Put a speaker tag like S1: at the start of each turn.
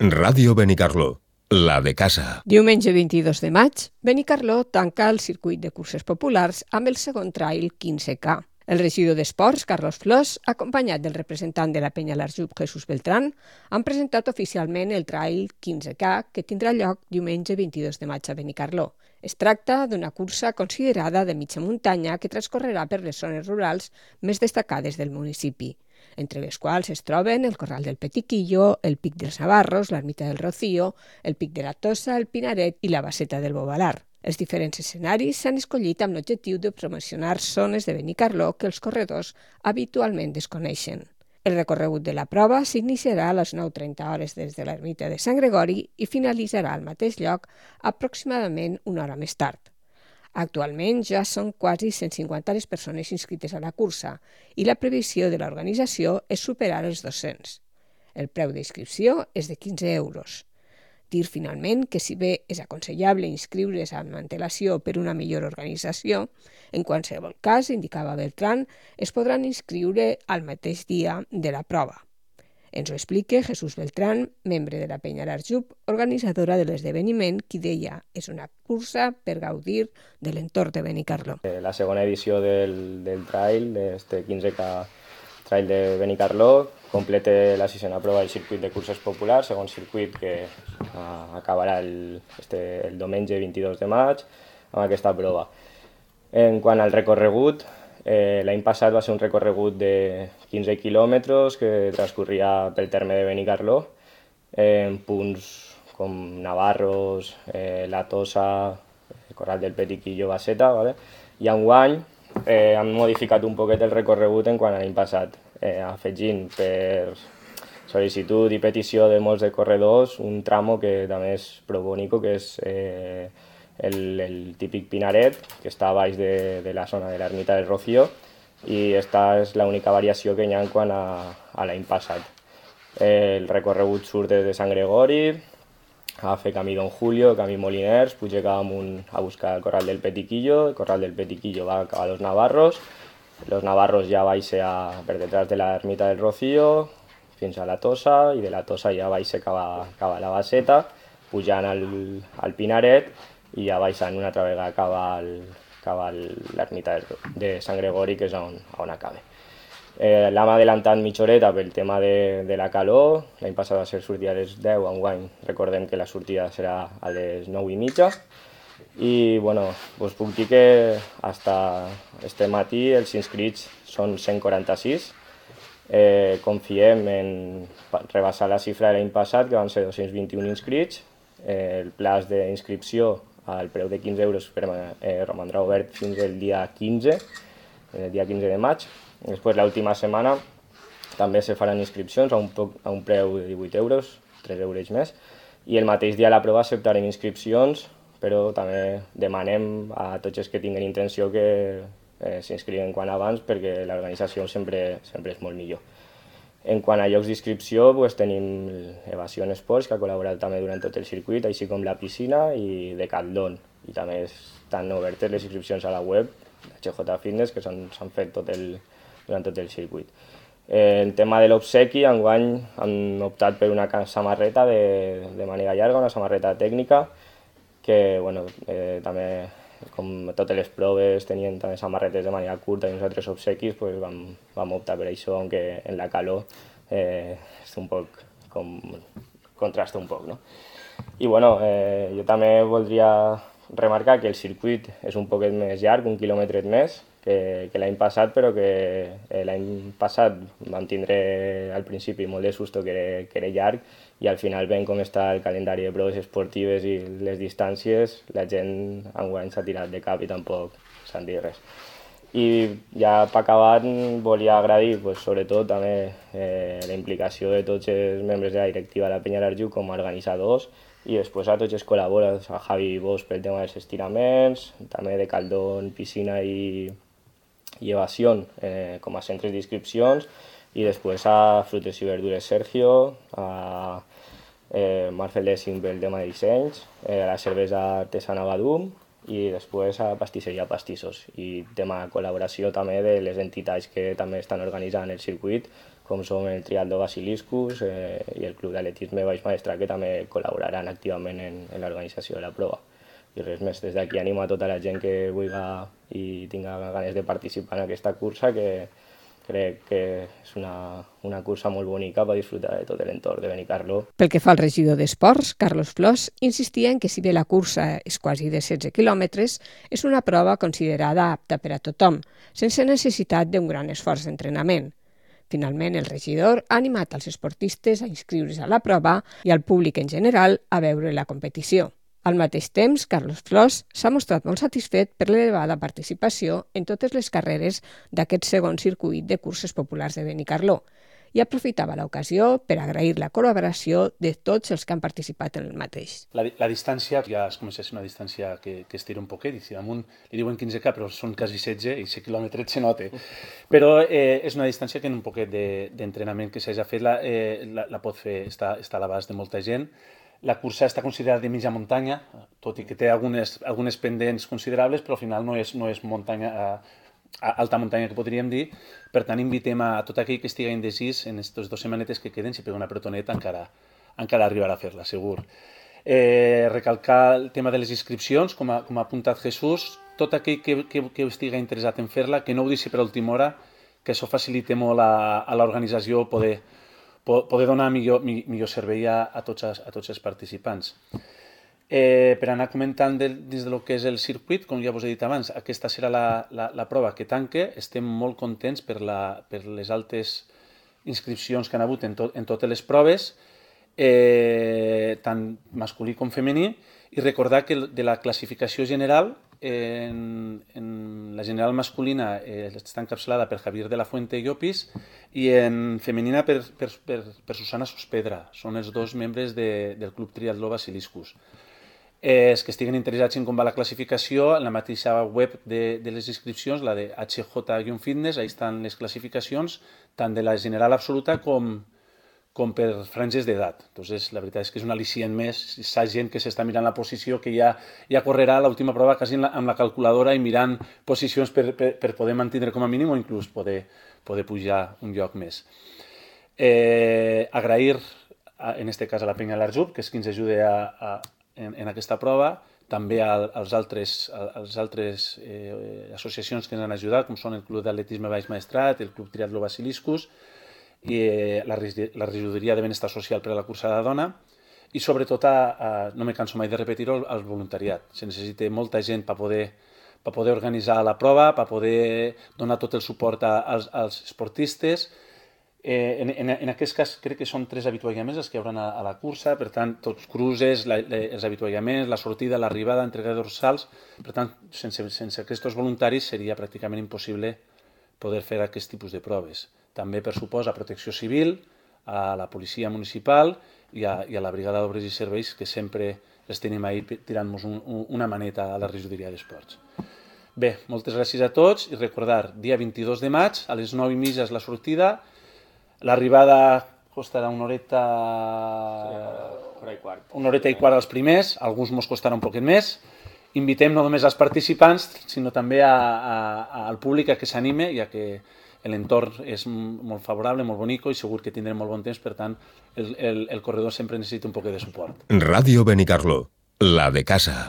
S1: Ràdio Benicarló, la de casa.
S2: Diumenge 22 de maig, Benicarló tanca el circuit de curses populars amb el segon trail 15K. El regidor d'Esports, Carlos Flors, acompanyat del representant de la penya L'Arjup, Jesús Beltrán, han presentat oficialment el trail 15K que tindrà lloc diumenge 22 de maig a Benicarló. Es tracta d'una cursa considerada de mitja muntanya que transcorrerà per les zones rurals més destacades del municipi, entre les quals es troben el Corral del Petiquillo, el Pic dels Navarros, l'Ermita del Rocío, el Pic de la Tossa, el Pinaret i la Baseta del Bovalar. Els diferents escenaris s'han escollit amb l'objectiu de promocionar zones de Benicarló que els corredors habitualment desconeixen. El recorregut de la prova s'iniciarà a les 9:30 hores des de l'ermita de Sant Gregori i finalitzarà al mateix lloc aproximadament una hora més tard. Actualment ja són quasi 150 les persones inscrites a la cursa i la previsió de l'organització és superar els 200. El preu d'inscripció és de 15 euros. Dir finalment que si bé és aconsellable inscriure's amb antelació per una millor organització, en qualsevol cas, indicava Beltrán, es podran inscriure al mateix dia de la prova. Ens ho explica Jesús Beltrán, membre de la penya L'Arjup, organitzadora de l'esdeveniment, qui deia és una cursa per gaudir de l'entorn de Benicarló.
S3: La segona edició del trail, d'este 15K trail de Benicarló, completa la sisena prova del circuit de curses populars, segon circuit que acabarà el diumenge 22 de maig amb aquesta prova. En quant al recorregut, l'any passat va ser un recorregut de 15 quilòmetres que transcorria pel terme de Benicarló, en punts com Navarros, la Tossa, el Corral del Petiquillo, Baseta, ¿vale? I enguany han modificat un poquet el recorregut en quant a l'any passat, afegint per sol·licitud i petició de molts de corredors un tramo que també és prou bonic, que és el típic Pinaret, que està a baix de la zona de l'Ermita del Rocío, i aquesta és l'única variació que hi ha en quant a l'any passat. El recorregut surt des de Sant Gregori, a fer camí Don Julio, camí Moliners, puja cap amunt a buscar el Corral del Petiquillo, el Corral del Petiquillo va cap a Los Navarros ja baixa per detrás de l'Ermita del Rocío, fins a la Tossa, i de la Tossa ja baixa cap a la Baseta, pujant al Pinaret, i ja baixant una altra vegada cap a l'ermita de Sant Gregori, que és on acaba. L'hem adelantat mitja horeta pel tema de la calor. L'any passat va ser sortida a les 10, enguany recordem que la sortida serà a les 9:30. I bueno, us puc dir que fins este matí els inscrits són 146. Confiem en rebassar la xifra de l'any passat, que van ser 221 inscrits. El plaç d'inscripció al preu de 15 euros romandrà obert fins el dia 15, el dia 15 de maig. Després, l'última setmana, també se faran inscripcions a un preu de 18 euros, 3 euros més, i el mateix dia de la prova acceptarem inscripcions, però també demanem a tots els que tinguin intenció que s'inscriuen quan abans, perquè l'organització sempre és molt millor. En quant a llocs d'inscripció, tenim Evasion Sports, que ha col·laborat també durant tot el circuit, així com la piscina i Decathlon. I també estan obertes les inscripcions a la web HJ Fitness, que s'han fet durant tot el circuit. El tema de l'obsequi, enguany han optat per una samarreta de màniga llarga, una samarreta tècnica, que també, com totes les proves tenien també samarretes de màniga curta i uns altres obsequis, vam optar per això, aunque en la calor és un poc contrasta un poc, no? I jo també voldria remarcar que el circuit és un poquet més llarg, 1 quilòmetre més que l'any passat, però que l'any passat vam tindre al principi molt de susto que era llarg, i al final, veient com està el calendari de proves esportives i les distàncies, la gent enguany s'ha tirat de cap i tampoc s'han dit res. I ja per acabar volia agrair sobretot també la implicació de tots els membres de la directiva de la penya L'Arjup com a organitzadors, i després a tots els col·laboradors, a Javi Bosch pel tema dels estiraments, també de Caldón, Piscina i Evasion com a centres d'inscripcions, i després a Frutes i Verdures Sergio, a Marcel Lessing pel tema de dissenys, a la cervesa artesana Badum, i després a Pastisseria Pastissos. I tema de col·laboració també de les entitats que també estan organitzant el circuit, com són el Triatló Basiliscus i el Club d'Atletisme Baix Maestrat, que també col·laboraran activament en l'organització de la prova. I res més, des d'aquí animo a tota la gent que vulgui i tinga ganes de participar en aquesta cursa, que crec que és una cursa molt bonica per disfrutar de tot l'entorn de Benicarló.
S2: Pel que fa al regidor d'Esports, Carlos Flors, insistia en que si bé la cursa és quasi de 16 quilòmetres, és una prova considerada apta per a tothom, sense necessitat d'un gran esforç d'entrenament. Finalment, el regidor ha animat als esportistes a inscriure's a la prova i al públic en general a veure la competició. Al mateix temps, Carlos Flors s'ha mostrat molt satisfet per l'elevada participació en totes les carreres d'aquest segon circuit de curses populars de Benicarló i aprofitava l'ocasió per agrair la col·laboració de tots els que han participat en el mateix.
S4: La distància ja es comença a ser una distància que estira un poquet, i si damunt li diuen 15K, però són quasi 16 i 16 quilòmetres se nota. Però és una distància que en un poquet d'entrenament que s'hagi fet la pot fer, està a l'abast de molta gent. La cursa està considerada de mitja muntanya, tot i que té algunes pendents considerables, però al final no és muntanya, alta muntanya que podríem dir. Per tant, invitem a tot aquell que estigui indecís en aquestes 2 setmanetes que queden, si pega una pretoneta encara arribarà a fer-la, segur. Recalcar el tema de les inscripcions, com ha apuntat Jesús, tot aquell que estigui interessat en fer-la, que no ho deixi per a última hora, que això facilita molt a l'organització poder donar millor servei a tots els participants. Per anar comentant dins del que és el circuit, com ja us he dit abans, aquesta serà la prova que tanca. Estem molt contents per les altes inscripcions que han hagut en totes les proves, tant masculí com femení, i recordar que de la classificació general, en la general masculina està encapçalada per Javier de la Fuente i Llopis, i en femenina per Susana Sospedra. Són els 2 membres del Club Triatló Basiliscus. Els que estiguen interessats en com va la classificació, en la mateixa web de les inscripcions, la de HJ-Fitness, ahí estan les classificacions, tant de la general absoluta com per franges d'edat. Entonces, la veritat és que és un al·licient més. S'ha gent que s'està mirant la posició, que ja correrà l'última prova quasi amb la calculadora i mirant posicions per poder mantenir com a mínim o inclús poder pujar un lloc més. Agrair, en aquest cas, a la Penya L'Arjub, que és qui ens ajuda en aquesta prova, també als altres associacions que ens han ajudat, com són el Club d'Atletisme Baix Maestrat, el Club Triatló Basiliscus, i la regidoria de benestar social per a la cursa de la dona, i sobretot, no me canso mai de repetir-ho, al voluntariat. Se necessita molta gent per poder organitzar la prova, per poder donar tot el suport als esportistes. En aquest cas crec que són 3 avituallaments els que hi haurà a la cursa, per tant, tots cruces, els avituallaments, la sortida, l'arribada, entrega de dorsals. Per tant, sense aquests voluntaris seria pràcticament impossible poder fer aquest tipus de proves. També, per supost, a Protecció Civil, a la Policia Municipal i a la Brigada d'Obres i Serveis, que sempre els tenim ahí tirant-nos una maneta a la regidoria d'Esports. Bé, moltes gràcies a tots i recordar, dia 22 de maig, a les 9:30 és la sortida. L'arribada costarà una horeta i quart als primers, alguns mos costarà un poquet més. Invitem no només als participants, sinó també al públic a que s'anime, ja que l'entorn és molt favorable, molt bonic, i segur que tindrem molt bon temps, per tant, el corredor sempre necessita un poquet de suport.
S1: Radio Benicarló, la de casa.